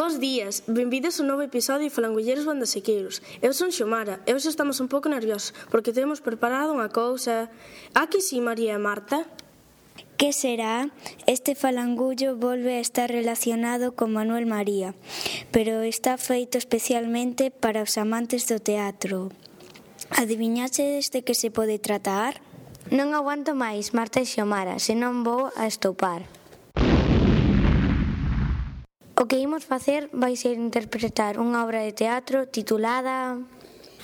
Bos días, benvidos a un novo episodio de Falangulleiros Bandasequeiros. Eu son Xomara e hoxe estamos un pouco nerviosos porque temos preparado unha cousa. A que si, María e Marta? Que será? Este falangullo volve a estar relacionado con Manuel María, pero está feito especialmente para os amantes do teatro. Adiviñaxedes de que se pode tratar? Non aguanto máis, Marta e Xomara, senón vou a estopar. O que imos facer vai ser interpretar unha obra de teatro titulada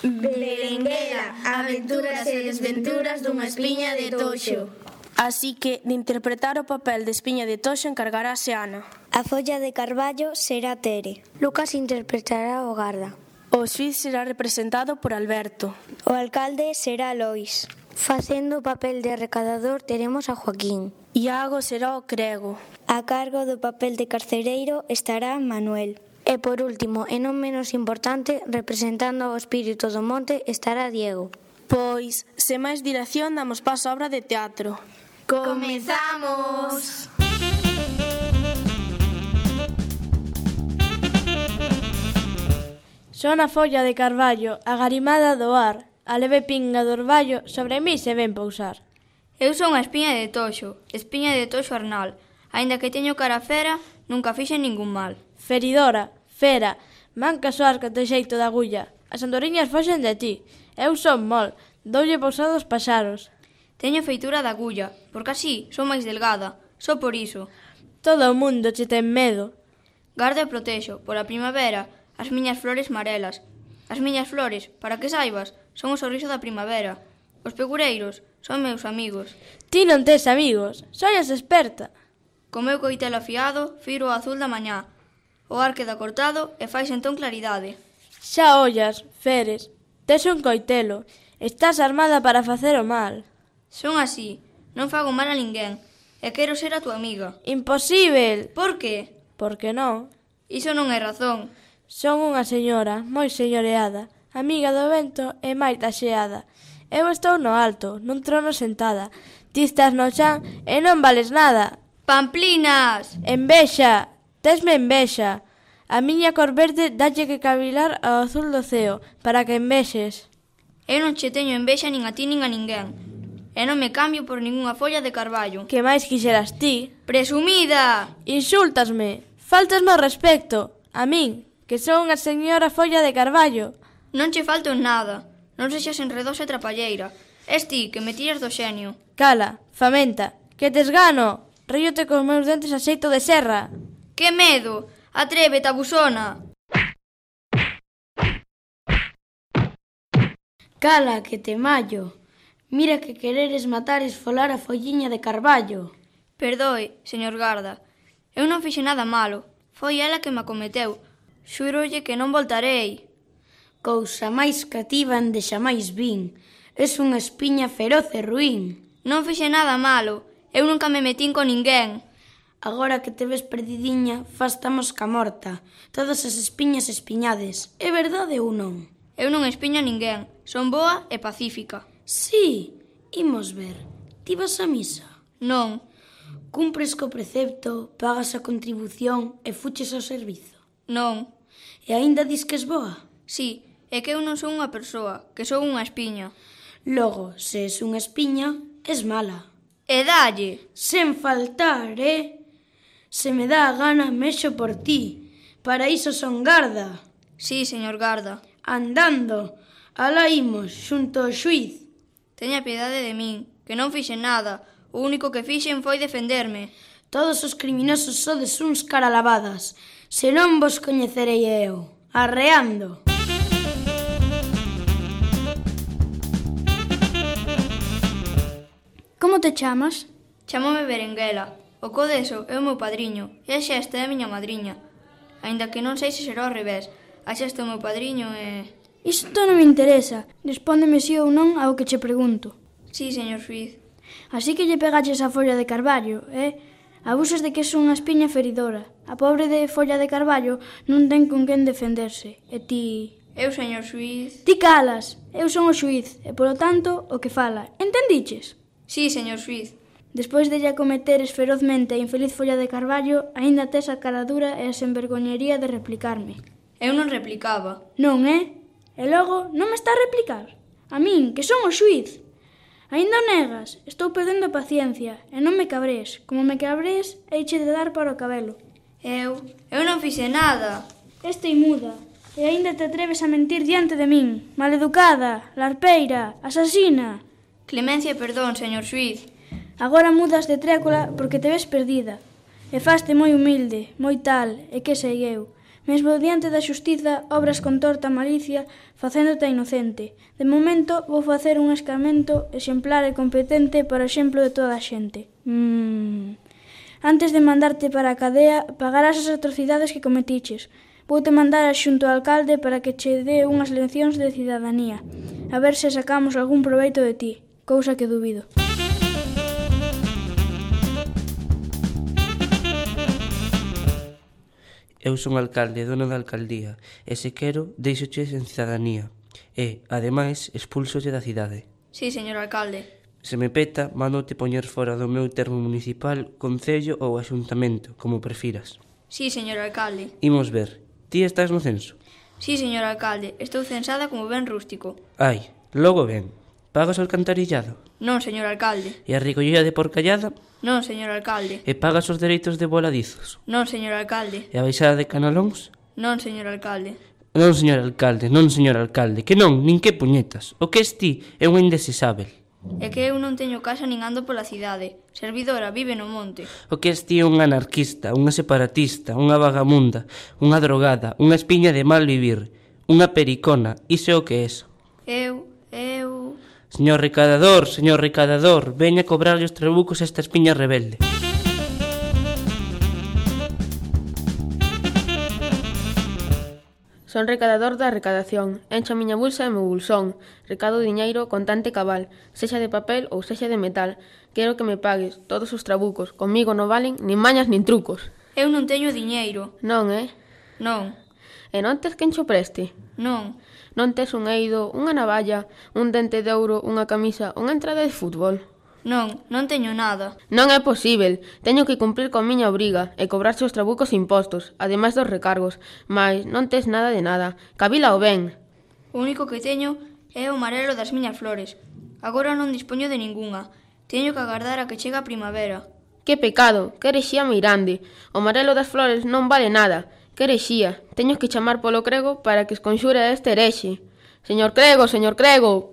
Berenguela, aventuras e desventuras dunha espiña de toxo. Así que, de interpretar o papel de espiña de toxo encargarase Ana. A folla de carballo será Tere. Lucas interpretará o garda. O xuíz será representado por Alberto. O alcalde será Lois. Facendo o papel de recadador teremos a Joaquín. Iago será o crego. A cargo do papel de carcereiro estará Manuel. E por último, e non menos importante, representando o espírito do monte estará Diego. Pois, sen máis dilación, damos paso á obra de teatro. ¡Comezamos! Son a folla de carballo, agarimada do ar, a leve pinga do orballo sobre mí se ven pousar. Eu son a espiña de toxo Arnal. Aínda que teño cara fera, nunca fixen ningún mal. Feridora, fera, manca soas co teu xeito de agulla. As andoriñas foxen de ti. Eu son mol, doulle pousado aos paxaros. Teño feitura de agulla, porque así son máis delgada. Só por iso. Todo o mundo che ten medo. Garda e protexo, pola primavera, as miñas flores marelas. As miñas flores, para que saibas, son o sorriso da primavera. Os pegureiros son meus amigos. Ti non tes amigos, soias experta. Co meu coitelo afiado, firo o azul da mañá. O ar queda cortado e fais entón claridade. Xa ollas, Feres, tes un coitelo. Estás armada para facer o mal. Son así, non fago mal a ninguén. E quero ser a tua amiga. Imposíbel. Por que? Porque non. Iso non é razón. Son unha señora, moi señoreada, amiga do vento e máis da xeada. Eu estou no alto, nun trono sentada. Ti estás no chan e non vales nada. Pamplinas! Envexa, tesme envexa. A miña cor verde dalle que cavilar ao azul do ceo, para que envexes. Eu non che teño envexa nin a ti nin a ninguén. E non me cambio por ningunha folla de carballo. Que máis quixeras ti? Presumida! Insultasme, faltasme ao respecto. A min, que son unha señora folla de carballo. Non che falto en nada. Non sexas enredosa e trapalleira. Es ti que me tiras do xenio. Cala, famenta, que tes gano. Ríote cos meus dentes a xeito de serra. Que medo! Atrévete, abusona! Cala, que te mallo. Mira que quereres matar e esfolar a folliña de carballo. Perdoe, señor garda. Eu non fixe nada malo. Foi ela que me acometeu. Xúrolle que non voltarei. Cousa máis cativa ande xamais vin. Es unha espiña feroz e ruín. Non fixe nada malo. Eu nunca me metín con ninguén. Agora que te ves perdidiña, fasta mosca morta. Todas as espiñas espiñades. É verdade ou non? Eu non espiño a ninguén. Son boa e pacífica. Sí, imos ver. Ti vas a misa? Non. Cumpres co precepto, pagas a contribución e fuches ao servizo? Non. E aínda dis que es boa? Sí, é que eu non son unha persoa, que son unha espiña. Logo, se es unha espiña, es mala. E dalle. Sen faltar, Se me dá a gana, mexo por ti. Para iso son garda. Sí, señor garda. Andando. Alá imos, xunto ao xuíz. Teña piedade de min, que non fixen nada. O único que fixen foi defenderme. Todos os criminosos sodes uns caralavadas. Se non vos coñecerei eu. Arreando. Como te chamas? Chámome Berenguela. O Codeso é o meu padriño e a Xesta é a miña madriña. Aínda que non sei se será ao revés. A Xesta é o meu padriño e... Isto non me interesa. Respóndeme si ou non ao que che pregunto. Sí, señor xuíz. Así que lle pegaches a folla de carballo, Abusas de que es unha espiña feridora. A pobre de folla de carballo non ten con quen defenderse. E ti... Eu, señor xuíz... Ti calas. Eu son o xuíz e, polo tanto, o que fala. Entendiches? Sí, señor xuíz. Despois de lle acometeres ferozmente a infeliz folla de carballo, aínda tes a cara dura e a senvergoñería de replicarme. Eu non replicaba. Non, E logo, non me está a replicar? A min, que son o xuíz. Aínda o negas, estou perdendo a paciencia, e non me cabres. Como me cabres, heiche de dar para o cabelo. Eu non fixe nada. Estei muda, e aínda te atreves a mentir diante de min. Maleducada, larpeira, asasina. Clemencia e perdón, señor xuíz. Agora mudas de trécola porque te ves perdida. E faste moi humilde, moi tal, e que sei eu. Mesmo diante da xustiza obras con torta malicia facéndote inocente. De momento vou facer un escarmento exemplar e competente para o exemplo de toda a xente. Antes de mandarte para a cadea, pagarás as atrocidades que cometiches. Vou-te mandar a xunto ao alcalde para que che dé unhas leccións de cidadanía. A ver se sacamos algún proveito de ti, cousa que dubido. Eu son alcalde e dono da alcaldía, e se quero, deixoche en cidadanía. E, ademais, expúlsolle da cidade. Sí, señor alcalde. Se me peta, mándote poñer fora do meu termo municipal, concello ou axuntamento, como prefiras. Sí, señor alcalde. Imos ver. Ti estás no censo? Sí, señor alcalde. Estou censada como ben rústico. Ai, logo ben. Pagas o alcantarillado? Non, señor alcalde. E a recollida de porcallada? Non, señor alcalde. E pagas os dereitos de voladizos? Non, señor alcalde. E a baixada de canalóns? Non, señor alcalde. Non, señor alcalde, non, señor alcalde, que non, nin que puñetas. O que es ti é un indesesável. É que eu non teño casa nin ando pola cidade. Servidora vive no monte. O que es ti é un anarquista, unha separatista, unha vagamunda, unha drogada, unha espiña de mal vivir, unha pericona, iso é o que es. Eu... Señor recadador, veña a cobrarlle os trabucos a esta espiña rebelde. Son recadador da recadación, encho a miña bolsa e meu bolsón, recado diñeiro contante cabal, sexa de papel ou sexa de metal. Quero que me pagues todos os trabucos, comigo non valen nin mañas nin trucos. Eu non teño diñeiro. Non, Non. E non tes quen cho preste? Non. Non tes un eido, unha navalla, un dente de ouro, unha camisa, unha entrada de fútbol? Non teño nada. Non é posível. Teño que cumprir con miña obriga e cobrarse os trabucos e impostos, ademais dos recargos. Mais non tes nada de nada. Cabílao ben. O único que teño é o marelo das miñas flores. Agora non dispoño de ningunha. Teño que agardar a que chegue a primavera. Que pecado, que herexía meirande. O marelo das flores non vale nada. Que herexía. Teño que chamar polo crego para que esconxure a este herexe. Señor crego, señor crego.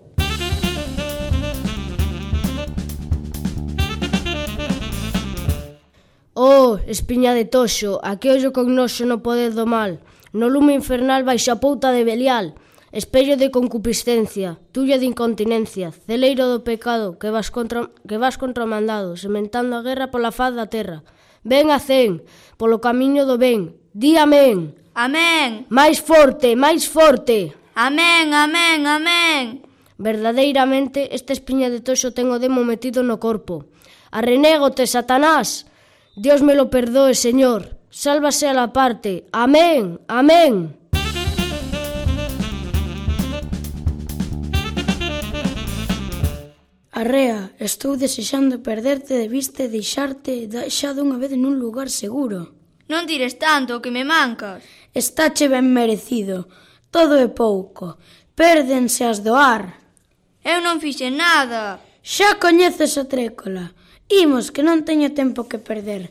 Oh, espiña de toxo, aquí ollo con noxo no poder do mal. No lume infernal baixo a pouta de Belial. Espello de concupiscencia, tulla de incontinencia, celeiro do pecado, que vas contra o mandado, sementando a guerra pola faz da terra. Ven a cen, polo camiño do ben. Di amén. Amén. Máis forte, máis forte. Amén, amén, amén. Verdadeiramente, esta espiña de toxo ten o demo metido no corpo. Arrenégote, Satanás. Dios me lo perdoe, Señor. Sálvase a la parte. Amén, amén. Arrea, estou desexando perderte de vista e deixarte xa dunha vez nun lugar seguro. Non tires tanto, que me mancas. Estáche ben merecido. Todo é pouco. Pérdense as do ar. Eu non fixe nada. Xa coñeces a trécola. Imos, que non teño tempo que perder.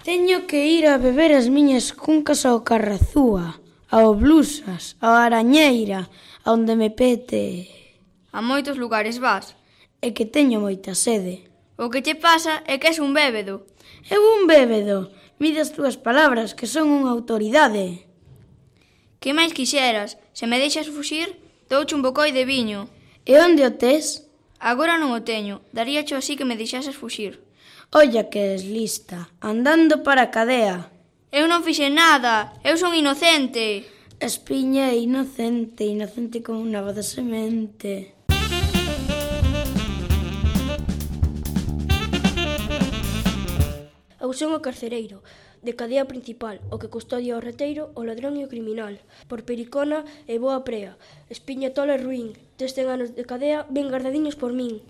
Teño que ir a beber as miñas cuncas ao Carrazúa, ao Blusas, ao Arañeira, a onde me pete. A moitos lugares vas. É que teño moita sede. O que che pasa é que és un bébedo. Eu un bébedo. Mide as túas palabras, que son unha autoridade. Que máis quixeras? Se me deixas fuxir, douche un bocoi de viño. E onde o tes? Agora non o teño. Daríacho así que me deixases fuxir. Olla que es lista, andando para a cadea. Eu non fixe nada. Eu son inocente. Espiña é inocente, inocente como unha nava de semente. Eu son o carcereiro, de cadea principal, o que custodia o reteiro, o ladrón e o criminal. Por pericona e boa prea, espiña tola e ruín, 100 anos de cadea ben guardadiños por min.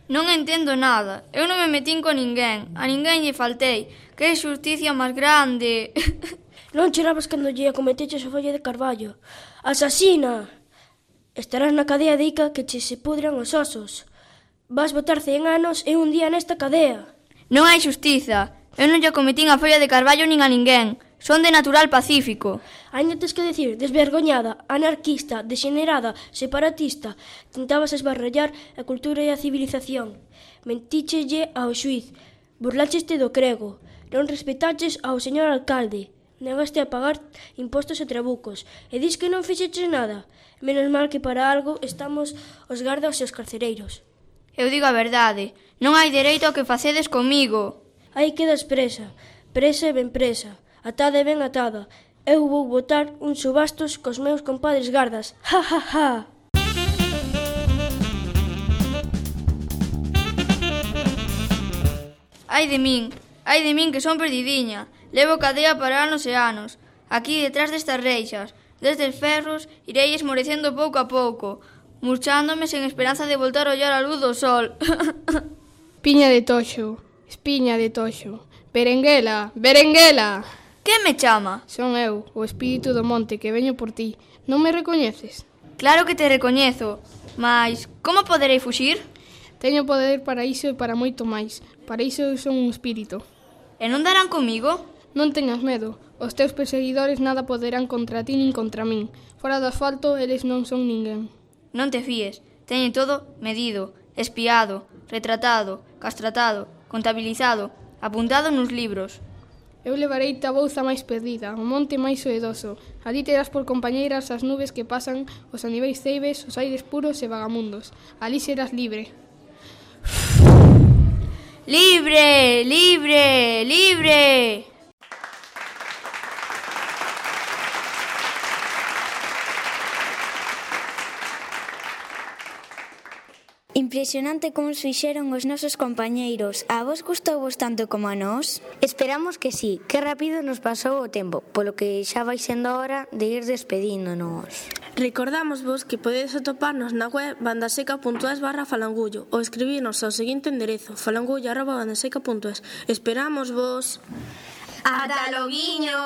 Non entendo nada. Eu non me metín con ninguén. A ninguén lle faltei. Que xusticia máis grande. Non chorabas cando lle acometeches a folla de carballo. Asasina! Estarás na cadea de Ica que che se pudran os osos. Vas botar 100 anos e un día nesta cadea. Non hai xustiza. Eu non lle acometín a folla de carballo nin a ninguén. Son de natural pacífico. Ainda tes que decir desvergoñada, anarquista, degenerada, separatista. Tentabas esbarrallar a cultura e a civilización. Mentíchelle ao xuiz. Burlácheste do crego. Non respetaches ao señor alcalde. Negaste a pagar impostos e trabucos. E dis que non fixeches nada. Menos mal que para algo estamos os gardas e os carcereiros. Eu digo a verdade. Non hai dereito ao que facedes comigo. Aí quedas presa. Presa e ben presa. Atada e ben atada. Eu vou botar uns subastos cos meus compadres gardas. Ja, ja, ja. Ai de min que son perdidiña. Levo cadea para anos e anos. Aquí detrás destas reixas, destes ferros, irei esmorecendo pouco a pouco, murchándome sen esperanza de voltar a ollar a luz do sol. Piña de toxo, espiña de toxo, berenguela, berenguela. Que me chama? Son eu, o espírito do monte que veño por ti. Non me recoñeces? Claro que te recoñezo, mas como poderei fuxir? Teño poder para iso e para moito máis. Para iso eu son un espírito. E non darán comigo? Non teñas medo. Os teus perseguidores nada poderán contra ti nin contra min. Fora do asfalto, eles non son ninguén. Non te fíes. Teñen todo medido, espiado, retratado, castratado, contabilizado, apuntado nos libros. Eu levarei a bouza máis perdida, o monte máis soedoso. Ali terás por compañeiras as nubes que pasan, os aniveis ceibes, os aires puros e vagamundos. Ali serás libre. Libre, libre, libre. Impresionante como os fixeron os nosos compañeiros. A vos gustouvos tanto como a nós? Esperamos que sí, que rápido nos pasou o tempo, polo que xa vai sendo hora de ir despedíndonos. Recordámosvos que podedes atoparnos na web bandaseca.es/falangullo ou escribirnos ao seguinte enderezo falangullo@bandaseca.es. Esperámosvos. Ata loguiño.